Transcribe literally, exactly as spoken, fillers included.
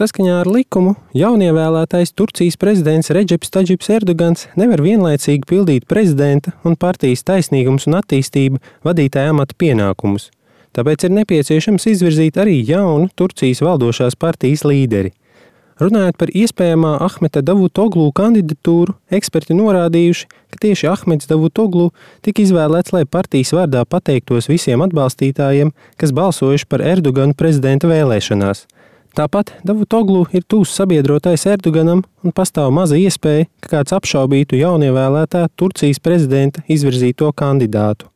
Saskaņā ar likumu jaunievēlētais Turcijas prezidents Redžeps Tadžips Erdogans nevar vienlaicīgi pildīt prezidenta un partijas Taisnīgums un attīstība vadītāja amata pienākumus. Tāpēc ir nepieciešams izvirzīt arī jaunu Turcijas valdošās partijas līderi. Runājot par iespējamā Ahmeta Davutoglu kandidatūru, eksperti norādījuši, ka tieši Ahmets Davutoglu tika izvēlēts, lai partijas vārdā pateiktos visiem atbalstītājiem, kas balsojuši par Erdoganu prezidenta vēlēšanās. Tāpat Davutoglu ir tūs sabiedrotais Erdoganam un pastāv maza iespēja, ka kāds apšaubītu jaunievēlētā Turcijas prezidenta izvirzīto kandidātu.